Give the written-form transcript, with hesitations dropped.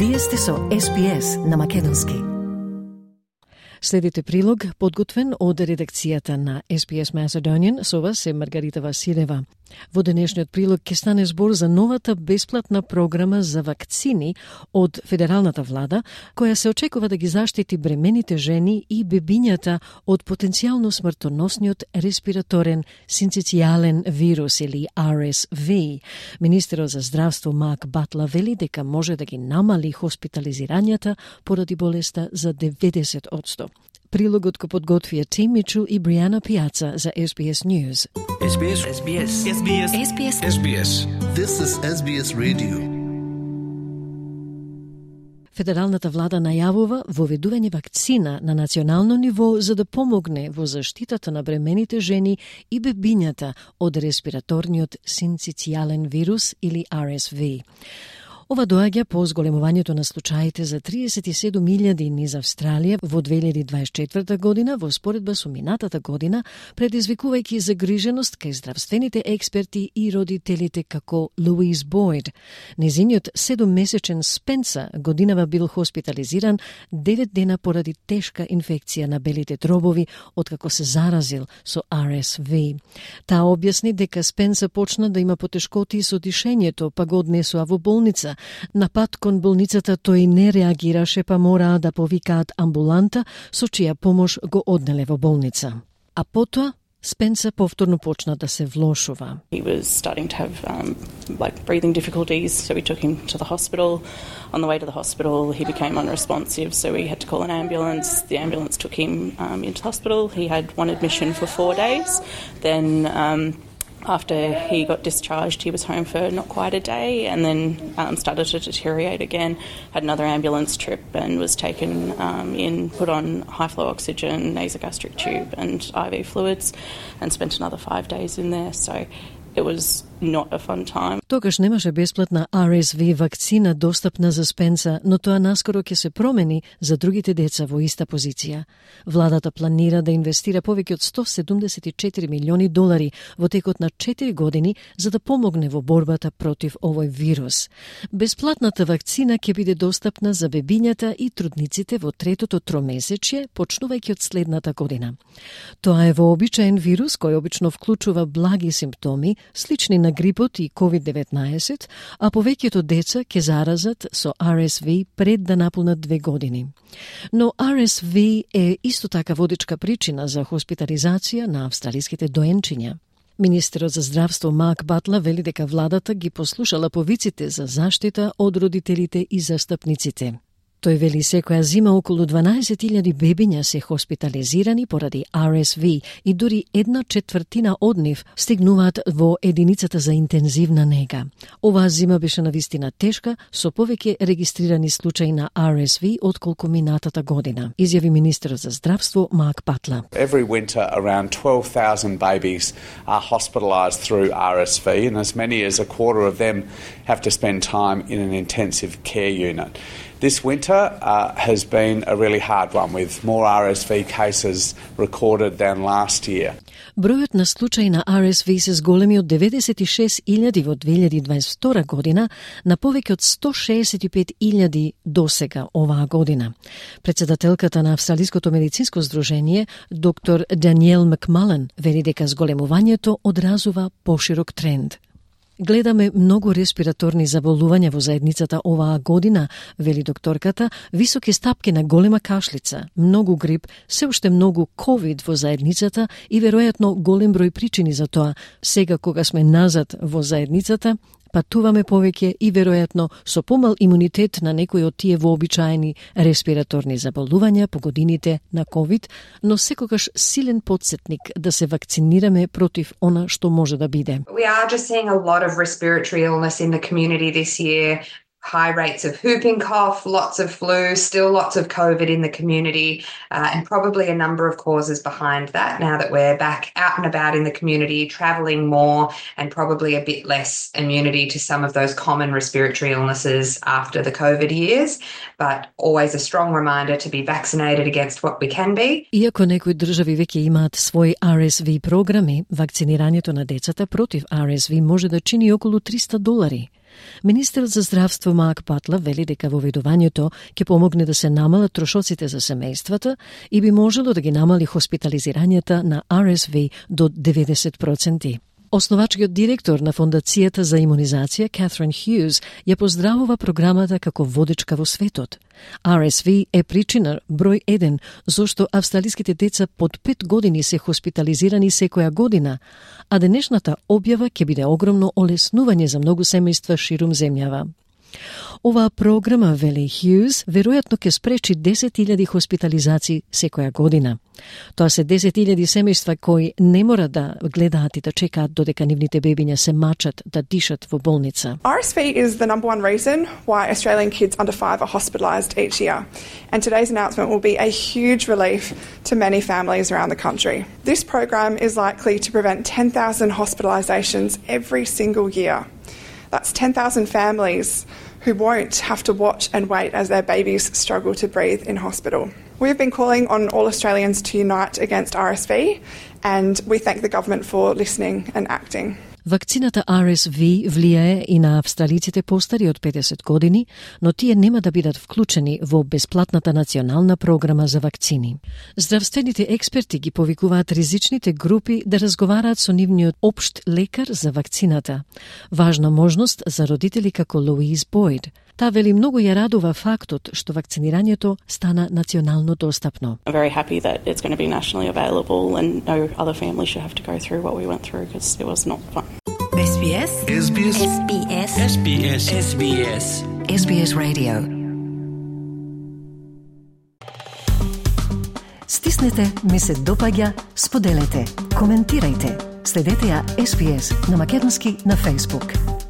Вие сте со SBS на македонски. Следите прилог, подготвен од редакцијата на SBS Macedonian, со вас е Маргарита Василева. Во денешниот прилог ќе стане збор за новата бесплатна програма за вакцини од федералната влада, која се очекува да ги заштити бремените жени и бебињата од потенцијално смртоносниот респираторен синцитијален вирус или RSV. Министерот за здравство Марк Батла вели дека може да ги намали хоспитализирањата поради болеста за 90%. Прилогот го подготвија Тим Мичел и Бриана Пиаца за SBS News. SBS. This is SBS Radio. Федералната влада најавува воведување вакцина на национално ниво за да помогне во заштитата на бремените жени и бебињата од респираторниот синцитијален вирус или RSV. Ова доаѓа по зголемувањето на случаите за 37.000 низ Австралија во 2024 година во споредба со минатата година, предизвикувајќи загриженост кај здравствените експерти и родителите како Луиз Бойд. Незиниот 7-месечен Спенса годинава бил хоспитализиран 9 дена поради тешка инфекција на белите дробови откако се заразил со RSV. Таа објасни дека Спенса почна да има потешкоти со дишењето, па го однесоа во болница. На пат кон болницата тој не реагираше, па мораа да повикаат амбуланта, со чија помош го однеле во болница. А потоа Спенса повторно почна да се влошува. He was starting to have breathing difficulties, so we took him to the hospital. On the way to the hospital, he became unresponsive, so we had to call an ambulance. The ambulance took him into the hospital. He had one admission for 4 days. Then after he got discharged, he was home for not quite a day and then started to deteriorate again, had another ambulance trip and was taken in, put on high-flow oxygen, nasogastric tube and IV fluids and spent another 5 days in there. So it was not a fun time. Тогаш немаше бесплатна RSV вакцина достапна за Спенса, но тоа наскоро ќе се промени за другите деца во иста позиција. Владата планира да инвестира повеќе од $174 милиони во текот на 4 години за да помогне во борбата против овој вирус. Бесплатната вакцина ќе биде достапна за бебињата и трудниците во третото тромесечје, почнувајќи од следната година. Тоа е вообичаен вирус кој обично вклучува благи симптоми, слични на грипот и COVID-19, а повеќето деца ќе заразат со RSV пред да наполнат 2 години. Но RSV е исто така водечка причина за хоспитализација на австралиските доенчиња. Министерот за здравство Марк Батла вели дека владата ги послушала повиците за заштита од родителите и застапниците. Тој вели секоја зима околу 12.000 бебиња се хоспитализирани поради RSV и дури 1/4 од нив стигнуваат во единицата за интензивна нега. Оваа зима беше навистина тешка, со повеќе регистрирани случаи на RSV отколку минатата година, изјави министерот за здравство Марк Батла. Every winter around 12,000 babies are hospitalised through RSV and as many as a quarter of them have to spend time in an intensive care unit. This winter has been a really hard one with more RSV cases recorded than last year. Бројот на случаи на RSV се зголеми од 96.000 во 2022 година на повеќе од 165.000 досега оваа година. Председателката на Австралиското медицинско здружение, доктор Даниел Макмален, вели дека зголемувањето одразува поширок тренд. Гледаме многу респираторни заболувања во заедницата оваа година, вели докторката, високи стапки на голема кашлица, многу грип, се уште многу COVID во заедницата и веројатно голем број причини за тоа. Сега кога сме назад во заедницата, патуваме повеќе и веројатно со помал имунитет на некои од тие вообичаени респираторни заболувања по годините на COVID, но секогаш силен потсетник да се вакцинираме против она што може да биде. We are just seeing a lot of respiratory illness in the community this year. High rates of whooping cough, lots of flu, still lots of COVID in the community, and probably a number of causes behind that now that we're back out and about in the community, travelling more, and probably a bit less immunity to some of those common respiratory illnesses after the COVID years, but always a strong reminder to be vaccinated against what we can be. Иако некои држави веќе имаат своји RSV програми, вакцинирањето на децата против RSV може да чини околу $300. Министерот за здравство Марк Батлер вели дека воведувањето ќе помогне да се намалат трошоците за семејствата и би можело да ги намали хоспитализирањата на RSV до 90%. Основачкиот директор на Фондацијата за имунизација, Catherine Hughes, ја поздравува програмата како водечка во светот. RSV е причина број 1 зошто австралиските деца под 5 години се хоспитализирани секоја година, а денешната објава ќе биде огромно олеснување за многу семејства ширум земјава. Оваа програма, вели Хјуз, веројатно ќе спречи 10.000 хоспитализации секоја година. Тоа се 10.000 семејства кои не мора да гледаат и да чекаат додека нивните бебиња се мачат да дишат во болница. RSV is the number one reason why Australian kids under 5 are hospitalised each year, and today's announcement will be a huge relief to many families around the country. This program is likely to prevent 10,000 hospitalisations every single year. That's 10,000 families who won't have to watch and wait as their babies struggle to breathe in hospital. We've been calling on all Australians to unite against RSV, and we thank the government for listening and acting. Вакцината RSV влијае и на австралиците постари од 50 години, но тие нема да бидат вклучени во бесплатната национална програма за вакцини. Здравствените експерти ги повикуваат ризичните групи да разговараат со нивниот општ лекар за вакцината. Важна можност за родители како Луиз Бойд. Таа вели многу ја радува фактот што вакцинирањето стана национално достапно. I'm very happy that it's going to be nationally available and no other family should have to go through what we went through because it was not fun. SBS SBS SBS SBS SBS SBS Radio. Стиснете, ми се допаѓа, споделете, коментирајте. Следете ја SBS на македонски на Facebook.